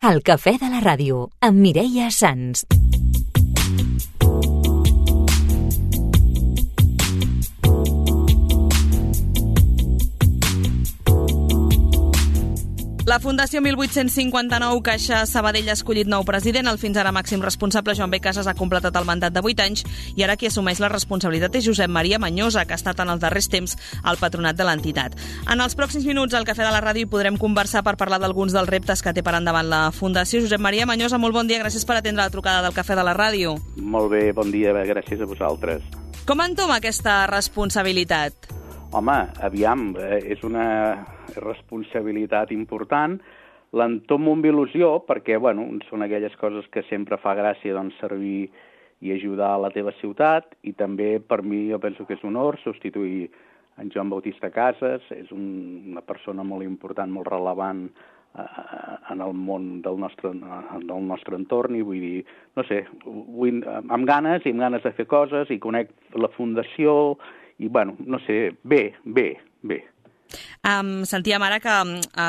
El cafè de la ràdio, amb Mireia Sans. La Fundació 1859 Caixa Sabadell ha escollit nou president. El fins ara màxim responsable, Joan B. Casas, ha completat el mandat de 8 anys i ara qui assumeix la responsabilitat és Josep Maria Mañosa, que ha estat en els darrers temps al patronat de l'entitat. En els pròxims minuts al Cafè de la Ràdio hi podrem conversar per parlar d'alguns dels reptes que té per endavant la Fundació. Josep Maria Mañosa, molt bon dia, gràcies per atendre la trucada del Cafè de la Ràdio. Molt bé, bon dia, gràcies a vosaltres. Com entoma aquesta responsabilitat? Home, aviam, és una responsabilitat important. L'entomo amb il·lusió perquè, bueno, són aquelles coses que sempre fa gràcia doncs, servir i ajudar a la teva ciutat, i també per mi jo penso que és un honor substituir en Joan Bautista Casas. És una persona molt important, molt rellevant en el món del nostre entorn, i vull dir, no sé, amb ganes de fer coses, i conec la Fundació, i, bueno, no sé, bé. Sentíem ara que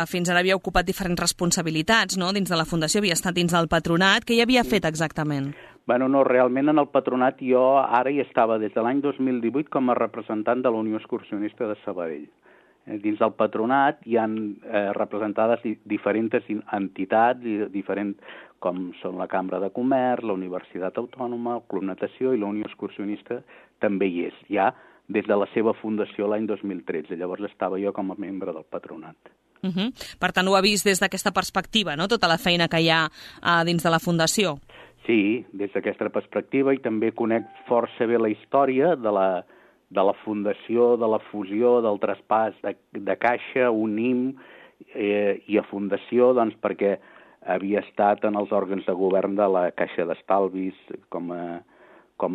fins ara havia ocupat diferents responsabilitats, no?, dins de la Fundació, havia estat dins del patronat. Què hi havia fet exactament? Bueno, no, realment en el patronat jo ara hi estava des de l'any 2018 com a representant de la Unió Excursionista de Sabadell. Dins del patronat hi han representades diferents entitats, com són la Cambra de Comerç, la Universitat Autònoma, el Club Natació, i la Unió Excursionista també hi és, ja des de la seva fundació l'any 2013. Llavors estava jo com a membre del patronat. Per tant, ho ha vist des d'aquesta perspectiva, no?, tota la feina que hi ha dins de la Fundació. Sí, des d'aquesta perspectiva, i també conec força bé la història de la Fundació, de la fusió, del traspàs de Caixa, Unim i a Fundació, doncs perquè havia estat en els òrgans de govern de la Caixa d'Estalvis,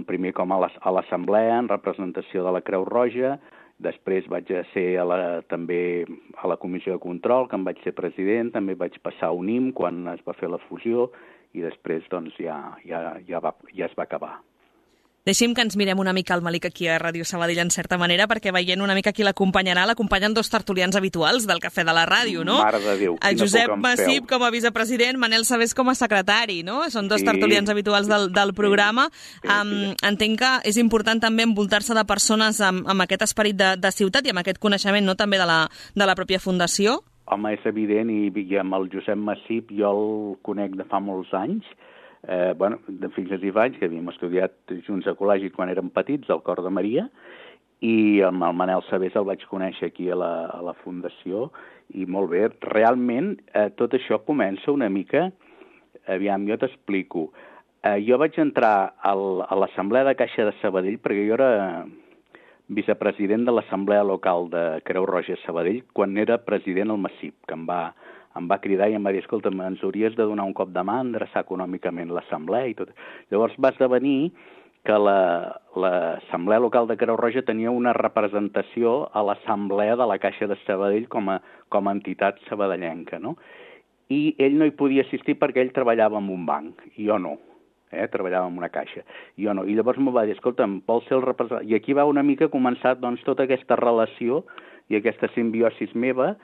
primer com a l'Assemblea, en representació de la Creu Roja. Després vaig ser també a la Comissió de Control, que en vaig ser president. També vaig passar a Unim quan es va fer la fusió, i després doncs, ja es va acabar. Deixi'm que ens mirem una mica al Malik aquí a Ràdio Sabadell, en certa manera, perquè veient una mica qui l'acompanyen dos tertulians habituals del Cafè de la Ràdio, no? Mare de Déu, el Josep Massip com a vicepresident, Manel Sabés com a secretari, no? Són dos tertulians habituals del programa. Entenc que és important també envoltar-se de persones amb aquest esperit de ciutat i amb aquest coneixement, no?, també de la pròpia Fundació. Home, és evident, i amb el Josep Massip jo el conec de fa molts anys, de fins a 10 anys, que havíem estudiat junts a col·legi quan érem petits, al Cor de Maria, i amb el Manel Sabés el vaig conèixer aquí a la Fundació, i molt bé. Realment, tot això comença una mica, aviam, jo t'explico. Jo vaig entrar a l'Assemblea de Caixa de Sabadell, perquè jo era vicepresident de l'Assemblea Local de Creu Roja Sabadell, quan era president el Massip, que em va cridar i em va dir, escolta, ens hauries de donar un cop de mà, endreçar econòmicament l'assemblea i tot. Llavors va esdevenir que l'Assemblea Local de Creu Roja tenia una representació a l'Assemblea de la Caixa de Sabadell com a entitat sabadellenca, no? I ell no hi podia assistir perquè ell treballava en un banc, i jo no. Treballava en una caixa, i jo no. I llavors m'ho va dir, escolta, vol ser el representant... I aquí va una mica començar doncs, tota aquesta relació i aquesta simbiosis meva,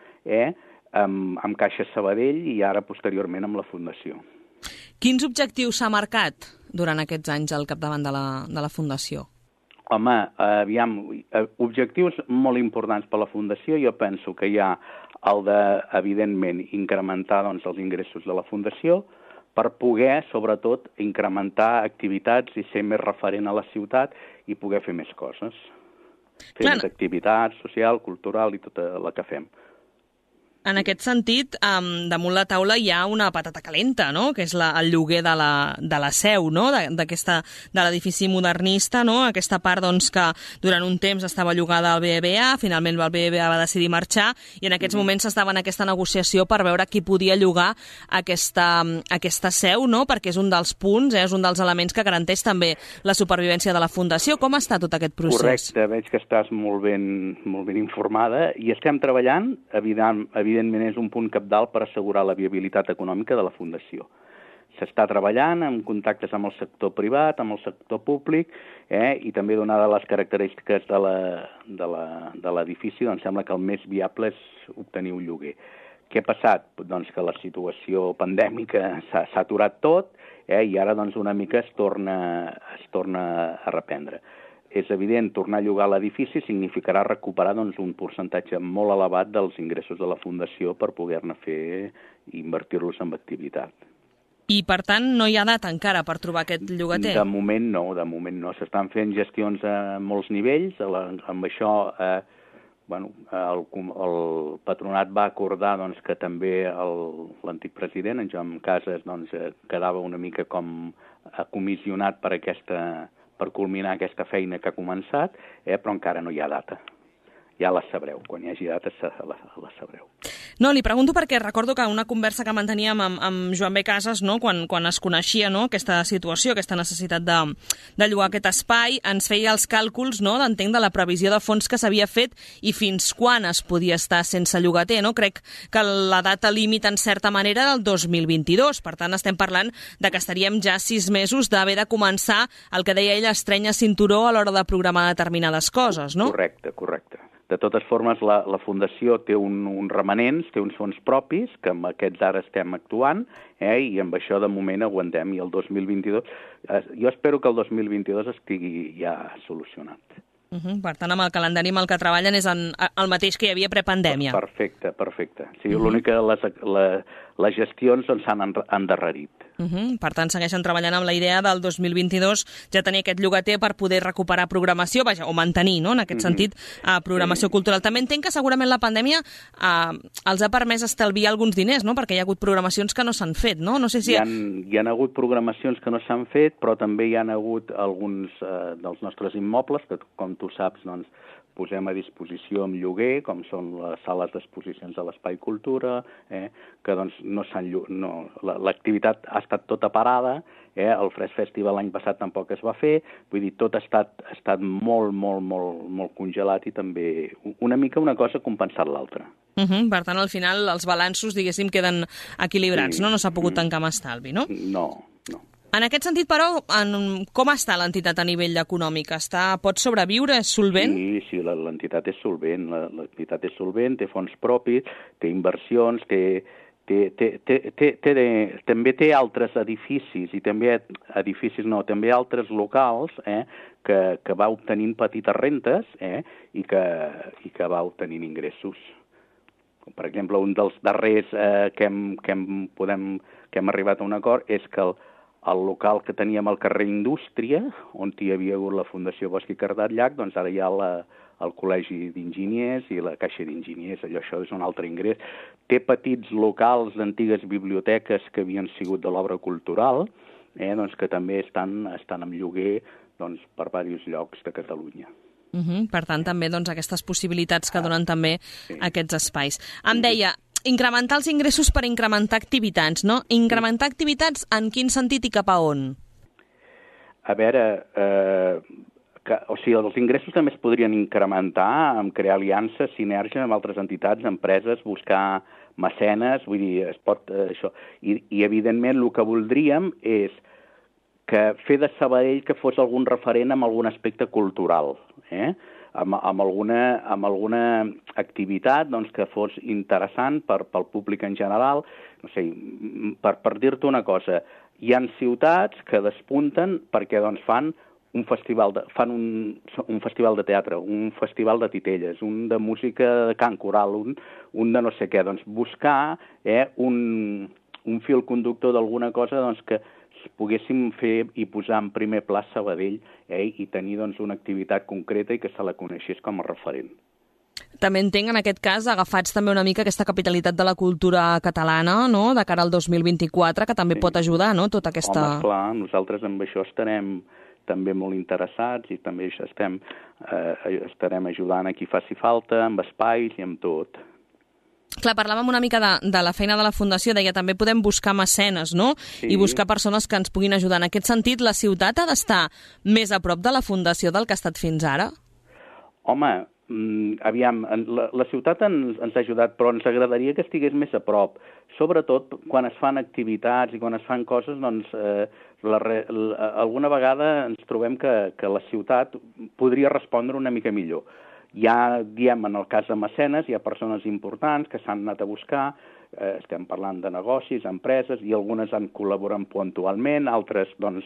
amb Caixa Sabadell i ara posteriorment amb la Fundació. Quins objectius s'ha marcat durant aquests anys al capdavant de la Fundació? Home, aviam, objectius molt importants per a la Fundació. Jo penso que hi ha el de, evidentment, incrementar doncs, els ingressos de la Fundació per poder, sobretot, incrementar activitats i ser més referent a la ciutat i poder fer més coses. Fer més activitats social, cultural i tota la que fem. En aquest sentit, damunt la taula hi ha una patata calenta, no?, que és el lloguer de la seu, no?, de l'edifici modernista, no?, aquesta part doncs, que durant un temps estava llogada al BBVA, finalment el BBVA va decidir marxar, i en aquests moments s'estava en aquesta negociació per veure qui podia llogar aquesta seu, no?, perquè és un dels punts, és un dels elements que garanteix també la supervivència de la Fundació. Com està tot aquest procés? Correcte, veig que estàs molt ben informada, i estem treballant, evidentment és un punt cabdal per assegurar la viabilitat econòmica de la Fundació. S'està treballant en contactes amb el sector privat, amb el sector públic, i també donades les característiques de l'edifici, doncs sembla que el més viable és obtenir un lloguer. Què ha passat? Doncs que la situació pandèmica s'ha aturat tot, i ara doncs una mica es torna a reprendre. És evident, tornar a llogar l'edifici significarà recuperar doncs, un percentatge molt elevat dels ingressos de la Fundació per poder-ne fer i invertir-los en activitat. I, per tant, no hi ha data encara per trobar aquest llogater? De moment no. S'estan fent gestions a molts nivells. Amb això el patronat va acordar doncs, que també l'antic president, en Joan Casas, doncs, quedava una mica com comissionat per culminar aquesta feina que ha començat, però encara no hi ha data. Ja la sabreu, quan hi hagi data la sabreu. No, li pregunto perquè recordo que una conversa que manteníem amb Joan B. Casas, no, quan es coneixia, no, aquesta situació, aquesta necessitat de llogar aquest espai, ens feia els càlculs, no, d'entenc de la previsió de fons que s'havia fet i fins quan es podia estar sense llogater. No? Crec que la data límit, en certa manera, del 2022. Per tant, estem parlant de que estaríem ja 6 mesos d'haver de començar el que deia ell, estrènyer cinturó a l'hora de programar determinades coses, no? Correcte. De totes formes, la Fundació té uns remanents, té uns fons propis, que amb aquests ara estem actuant, i amb això de moment aguantem. I el 2022, jo espero que el 2022 estigui ja solucionat. Per tant, amb el calendari amb el que treballen és el mateix que hi havia prepandèmia. Perfecte. Sí, l'únic que les gestions s'han endarrerit. Per tant, segueixen treballant amb la idea del 2022 ja tenir aquest llogater per poder recuperar programació, o mantenir, no?, en aquest sentit, programació cultural. També entenc que segurament la pandèmia els ha permès estalviar alguns diners, no?, perquè hi ha hagut programacions que no s'han fet, no? No sé si... Hi ha hagut programacions que no s'han fet, però també hi ha hagut alguns dels nostres immobles que, com tu saps, doncs, posem a disposició amb lloguer, com són les sales d'exposicions de l'Espai Cultura, que doncs l'activitat ha estat tota parada, el Fresc Festival l'any passat tampoc es va fer, vull dir, tot ha estat molt congelat i també una mica una cosa ha compensat l'altra. Per tant, al final, els balanços, diguéssim, queden equilibrats, no? No s'ha pogut tancar amb estalvi, no? No. En aquest sentit, però, com està l'entitat a nivell econòmic? Pot sobreviure? És solvent? Sí, l'entitat és solvent. L'entitat és solvent, té fons propis, té inversions, també té altres edificis, i també altres locals que va obtenint petites rentes i que va obtenint ingressos. Per exemple, un dels darrers que hem arribat a un acord és que el local que teníem al carrer Indústria, on hi havia hagut la Fundació Bosch i Cardat Llach, doncs ara hi ha el Col·legi d'Enginyers i la Caixa d'Enginyers. Això és un altre ingrés. Té petits locals d'antigues biblioteques que havien sigut de l'obra cultural, doncs que també estan en lloguer doncs, per diversos llocs de Catalunya. Per tant, també doncs, aquestes possibilitats que donen també aquests espais. Em deia, incrementar els ingressos per incrementar activitats, no? Incrementar activitats en quin sentit i cap a on? A veure, els ingressos també es podrien incrementar amb crear aliances, sinergia amb altres entitats, empreses, buscar mecenes, vull dir, es pot això. I evidentment, el que voldríem és que fer de Sabadell que fos algun referent amb algun aspecte cultural, amb alguna activitat doncs, que fos interessant pel públic en general. No sé, per dir-te una cosa, hi ha ciutats que despunten perquè doncs, fan un festival de teatre, un festival de titelles, un de música de cant coral, un de no sé què. Doncs buscar un fil conductor d'alguna cosa doncs, que poguéssim fer i posar en primer pla Sabadell i tenir doncs, una activitat concreta i que se la coneixés com a referent. També entenc, en aquest cas, agafats també una mica aquesta capitalitat de la cultura catalana, no?, de cara al 2024, que també pot ajudar, no?, tota aquesta... Home, clar, nosaltres amb això estarem també molt interessats i també estarem ajudant a qui faci falta, amb espais i amb tot. Clar, parlàvem una mica de la feina de la Fundació, deia també podem buscar mecenes, no? Sí. I buscar persones que ens puguin ajudar. En aquest sentit, la ciutat ha d'estar més a prop de la Fundació del que ha estat fins ara? Home, aviam, la ciutat ens ha ajudat, però ens agradaria que estigués més a prop. Sobretot quan es fan activitats i quan es fan coses, doncs alguna vegada ens trobem que la ciutat podria respondre una mica millor. Ja, diem, en el cas de mecenes, hi ha persones importants que s'han anat a buscar, estem parlant de negocis, empreses, i algunes han col·laborat puntualment, altres doncs,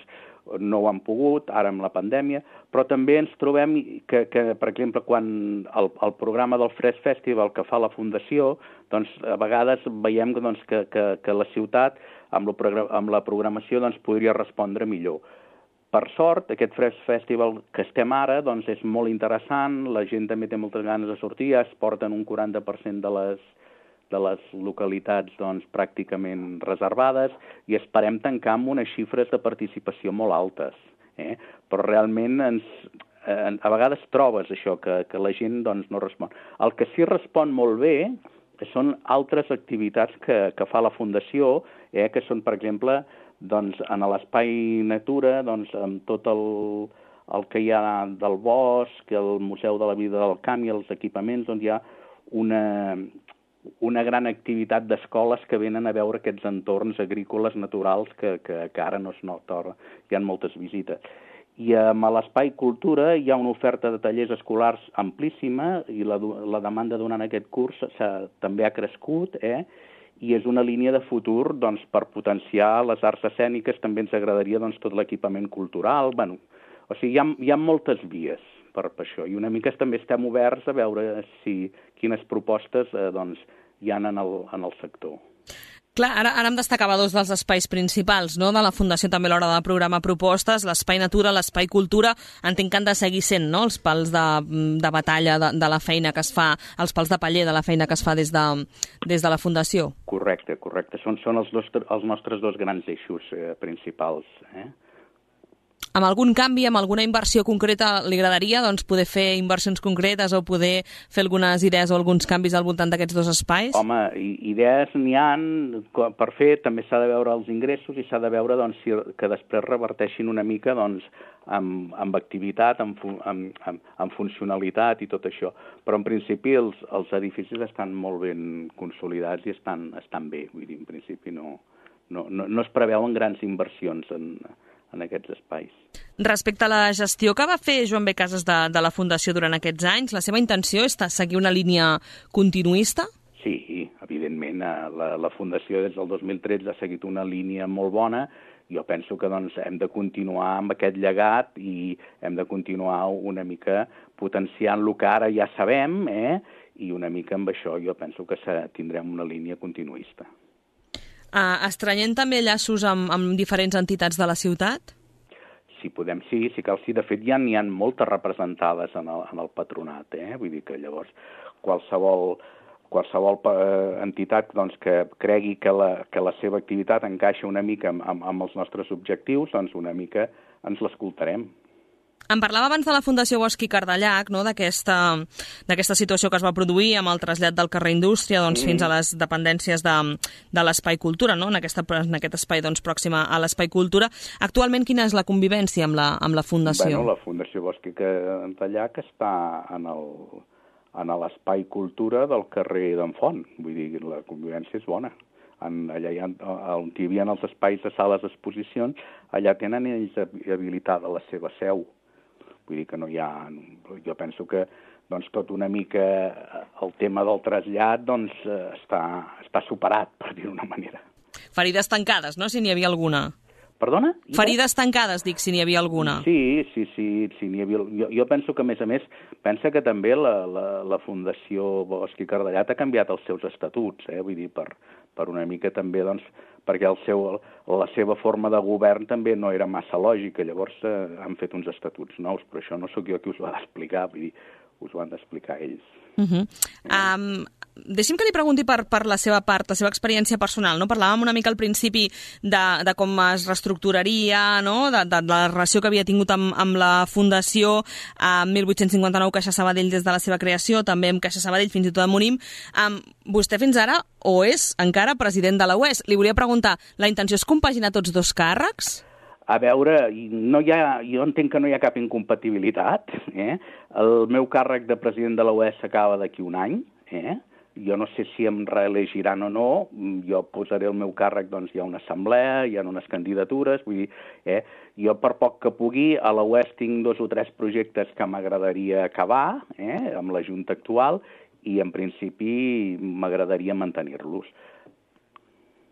no ho han pogut, ara amb la pandèmia, però també ens trobem que per exemple, quan el programa del Fresc Festival que fa la Fundació, doncs, a vegades veiem doncs, que la ciutat, amb la programació, doncs, podria respondre millor. Per sort, aquest Fresc Festival que estem ara doncs, és molt interessant, la gent també té moltes ganes de sortir, ja es porten un 40% de les localitats doncs, pràcticament reservades i esperem tancar amb unes xifres de participació molt altes. Però realment a vegades trobes això, que la gent doncs, no respon. El que sí respon molt bé són altres activitats que fa la Fundació, que són, per exemple, doncs, en l'espai natura, doncs, amb tot el que hi ha del bosc, el Museu de la Vida del Camp i els equipaments, doncs hi ha una gran activitat d'escoles que venen a veure aquests entorns agrícoles naturals que ara no es nota, hi ha moltes visites. I a l'Espai Cultura hi ha una oferta de tallers escolars amplíssima i la demanda durant aquest curs també ha crescut, i és una línia de futur doncs, per potenciar les arts escèniques, també ens agradaria doncs, tot l'equipament cultural. Bueno, o sigui, hi ha moltes vies per això, i una mica també estem oberts a veure quines propostes doncs, hi ha en el sector. Clar, ara em destacava dos dels espais principals, no?, de la Fundació també a l'hora de programar propostes, l'espai natura, l'espai cultura, entenc que han de seguir sent, no?, els pals de batalla de la feina que es fa, els pals de paller de la feina que es fa des de la Fundació. Correcte. Són els nostres dos grans eixos principals, Amb algun canvi, amb alguna inversió concreta, li agradaria doncs, poder fer inversions concretes o poder fer algunes idees o alguns canvis al voltant d'aquests dos espais? Home, idees n'hi ha per fer, també s'ha de veure els ingressos i s'ha de veure doncs, que després reverteixin una mica doncs, amb activitat, amb funcionalitat i tot això. Però en principi els edificis estan molt ben consolidats i estan bé. Vull dir, en principi no es preveuen grans inversions en aquests espais. Respecte a la gestió que va fer Joan B. Casas de la Fundació durant aquests anys, la seva intenció és seguir una línia continuista? Sí, evidentment. La Fundació des del 2013 ha seguit una línia molt bona. Jo penso que doncs, hem de continuar amb aquest llegat i hem de continuar una mica potenciant el que ara ja sabem, i una mica amb això jo penso que tindrem una línia continuista. Estrenyent també llaços amb diferents entitats de la ciutat? Si podem, sí, si cal, sí. De fet, ja n'hi ha moltes representades en el patronat, Vull dir que llavors qualsevol entitat doncs, que cregui que la seva activitat encaixa una mica amb els nostres objectius, doncs una mica ens l'escoltarem. Em parlava abans de la Fundació Bosch i Cardellac, no?, d'aquesta situació que es va produir amb el trasllat del carrer Indústria doncs, fins a les dependències de l'Espai Cultura, no?, en aquest espai doncs, pròxim a l'Espai Cultura. Actualment, quina és la convivència amb la Fundació? La Fundació Bosch i Cardellac està en l'Espai Cultura del carrer d'en Font. Vull dir, la convivència és bona. Allà on hi havia els espais de sales d'exposicions, allà tenen ells habilitada la seva seu. Vull dir que no hi ha... Jo penso que doncs, tot una mica el tema del trasllat doncs, està superat, per dir-ho d'una manera. Ferides tancades, no?, si n'hi havia alguna. Perdona? Ferides tancades, dic, si n'hi havia alguna. Sí, n'hi havia... Jo penso que, a més, pensa que també la Fundació Bosch i Cardellac ha canviat els seus estatuts, vull dir, per una mica també, doncs, perquè la seva forma de govern també no era massa lògica, llavors han fet uns estatuts nous, però això no sóc jo qui us ho ha d'explicar, vull dir, us ho han d'explicar ells. Deixi'm que li pregunti per la seva part, la seva experiència personal, no? Parlàvem una mica al principi de com es reestructuraria, no?, de la relació que havia tingut amb la Fundació a 1859 Caixa Sabadell des de la seva creació, també amb Caixa Sabadell fins i tot a Monim. Vostè fins ara o és encara president de la UES. Li volia preguntar, la intenció és compaginar tots dos càrrecs? A veure, jo entenc que no hi ha cap incompatibilitat. El meu càrrec de president de la UES s'acaba d'aquí un any. Jo no sé si em reelegiran o no. Jo posaré el meu càrrec, doncs hi ha una assemblea, hi ha unes candidatures. Vull dir, jo per poc que pugui, a la UES tinc 2 o 3 projectes que m'agradaria acabar amb la Junta actual i en principi m'agradaria mantenir-los.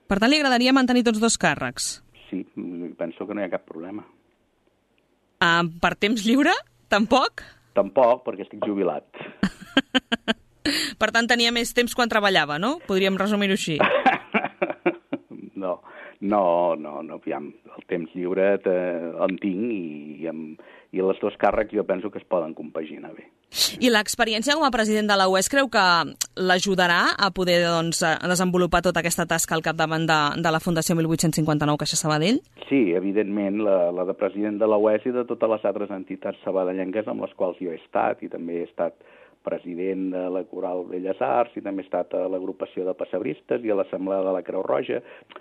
Per tant, li agradaria mantenir tots dos càrrecs? Sí, penso que no hi ha cap problema. Per temps lliure? Tampoc? Tampoc, perquè estic jubilat. Per tant, tenia més temps quan treballava, no? Podríem resumir-ho així. No, aviam, el temps lliure en tinc i els dos càrrecs jo penso que es poden compaginar bé. I l'experiència com a president de la UES creu que l'ajudarà a poder desenvolupar tota aquesta tasca al capdavant de la Fundació 1859 Caixa Sabadell? Sí, evidentment, la de president de la UES i de totes les altres entitats sabadellenques amb les quals jo he estat, i també he estat president de la Coral Belles Arts i també he estat a l'agrupació de pessebristes i a l'Assemblea de la Creu Roja.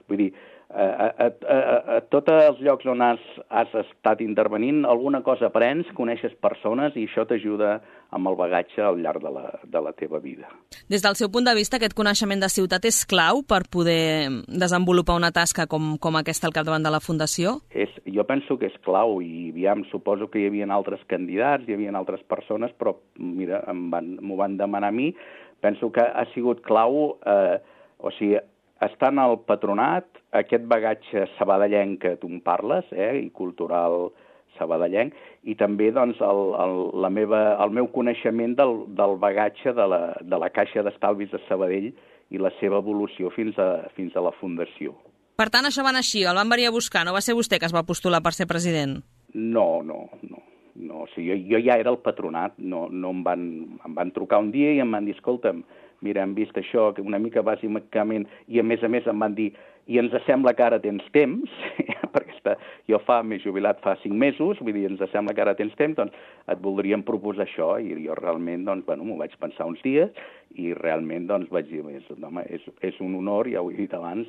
Vull dir, a tots els llocs on has estat intervenint, alguna cosa aprens, coneixes persones i això t'ajuda amb el bagatge al llarg de la teva vida. Des del seu punt de vista, aquest coneixement de ciutat és clau per poder desenvolupar una tasca com aquesta al capdavant de la Fundació? Jo penso que és clau i aviam, suposo que hi havia altres candidats, hi havia altres persones, però mira, m'ho van demanar a mi. Penso que ha sigut clau, estant al patronat, aquest bagatge sabadellenc que tu em parles, i cultural sabadellenc, i també doncs, el meu coneixement del bagatge de la Caixa d'Estalvis de Sabadell i la seva evolució fins a la Fundació. Per tant, això va anar així, el van venir a buscar, no va ser vostè que es va postular per ser president? No. O sigui, jo ja era el patronat, no em van trucar un dia i em van dir, escolta'm, mira, hem vist això, que una mica bàsicament, i a més em van dir, i ens sembla que ara tens temps, perquè jo m'he jubilat fa 5 mesos, vull dir, ens sembla que ara tens temps, doncs et voldríem proposar això, i jo realment, doncs, m'ho vaig pensar uns dies, i realment, doncs, vaig dir, home, és un honor, ja ho he dit abans,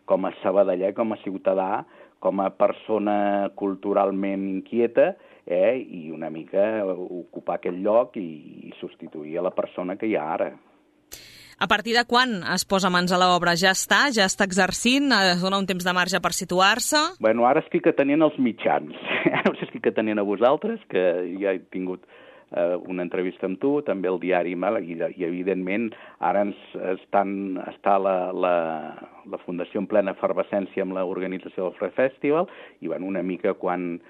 com a sabadeller, com a ciutadà, com a persona culturalment inquieta, i una mica ocupar aquest lloc i substituir a la persona que hi ha ara. A partir de quan es posa mans a l'obra? Ja està exercint? Es dona un temps de marge per situar-se? Bueno, ara estic atenent els mitjans. Ara us estic atenent a vosaltres, que ja he tingut una entrevista amb tu, també el diari, i evidentment ara està la Fundació en plena efervescència amb l'organització del Fred Festival, i una mica quan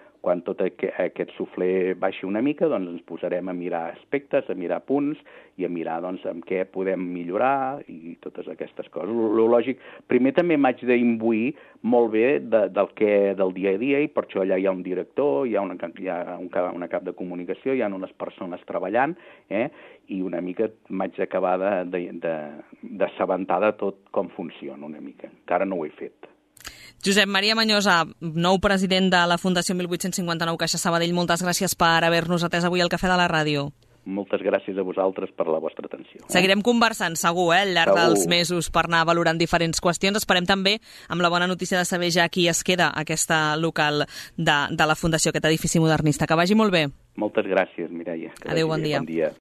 tot aquest suflé baixi una mica, doncs ens posarem a mirar aspectes, a mirar punts i a mirar doncs, en què podem millorar i totes aquestes coses. Lo lògic, primer també m'haig d'imbuir molt bé del dia a dia i per això allà hi ha un director, hi ha una cap de comunicació, hi ha unes persones treballant, i una mica m'haig d'acabar d'assabentar de tot com funciona una mica. Encara no ho he fet. Josep Maria Mañosa, nou president de la Fundació 1859 Caixa Sabadell, moltes gràcies per haver-nos atès avui al Cafè de la Ràdio. Moltes gràcies a vosaltres per la vostra atenció. Seguirem conversant, segur, al llarg dels mesos per anar valorant diferents qüestions. Esperem també amb la bona notícia de saber ja qui es queda a aquesta local de la Fundació, aquest edifici modernista. Que vagi molt bé. Moltes gràcies, Mireia. Adéu, bon dia.